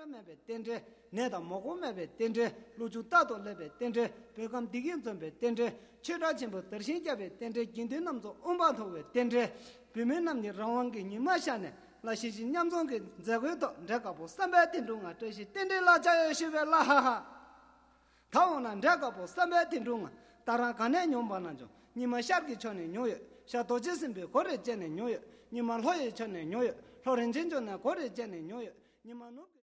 mebe tendre neda mogo mebe tendre luju tato lebe tendre begam digin zombe tendre chera chimbo darshin jabe tendre ginde namzo umba thowe tendre bimen namni rawangge nimashane la shi nyamzongge zagwedo ndakabo sambe tindunga toshi tendre la jaye shibe la ha ha 타오나 ndakabo sambe tindunga tara gane nyombananjo nima sharki chone nyoye sha dojisimbe gore jene nyoye nima loye chone nyoye lorenjenjo na gore jene nyoye nima